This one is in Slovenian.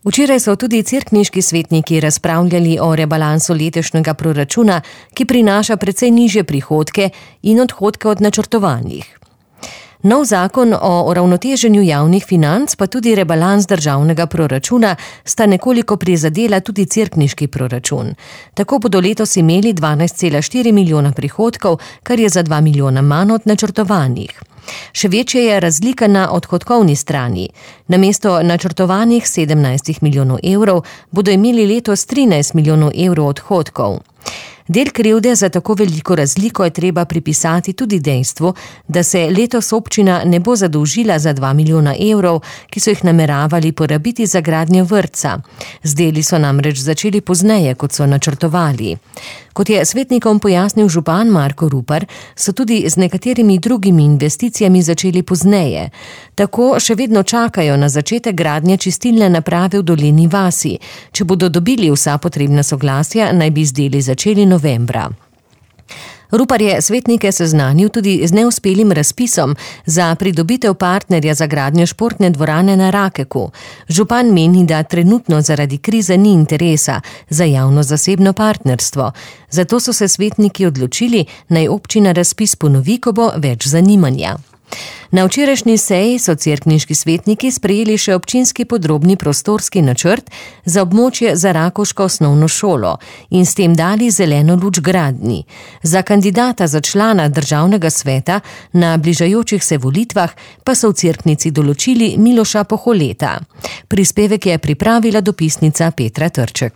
Včeraj so tudi cerkniški svetniki razpravljali o rebalansu letošnjega proračuna, ki prinaša precej nižje prihodke in odhodke od načrtovanih. Nov zakon o uravnoteženju javnih financ pa tudi rebalans državnega proračuna sta nekoliko prizadela tudi cerkniški proračun. Tako bodo letos imeli 12,4 milijona prihodkov, kar je za 2 milijona manj od načrtovanih. Še večja je razlika na odhodkovni strani. Namesto načrtovanih 17 milijonov evrov bodo imeli letos 13 milijonov evrov odhodkov. Del krivde za tako veliko razliko je treba pripisati tudi dejstvu, da se letos občina ne bo zadolžila za 2 milijona evrov, ki so jih nameravali porabiti za gradnjo vrtca. Z deli so namreč začeli pozneje, kot so načrtovali. Kot je svetnikom pojasnil župan Marko Rupar, so tudi z nekaterimi drugimi investicijami začeli pozneje. Tako še vedno čakajo na začetek gradnje čistilne naprave v Dolini vasi. Če bodo dobili vsa potrebna soglasja, naj bi z deli začeli novembra. Rupar je svetnike seznanil tudi z neuspelim razpisom za pridobitev partnerja za gradnjo športne dvorane na Rakeku. Župan meni, da trenutno zaradi krize ni interesa za javno-zasebno partnerstvo. Zato so se svetniki odločili, naj občina razpis ponovi, ko bo več zanimanja. Na včerajšnji seji so cerkniški svetniki sprejeli še občinski podrobni prostorski načrt za območje za rakovško osnovno šolo in s tem dali zeleno luč gradnji. Za kandidata za člana državnega sveta na bližajočih se volitvah pa so v cerknici določili Miloša Poholeta. Prispevek je pripravila dopisnica Petra Trček.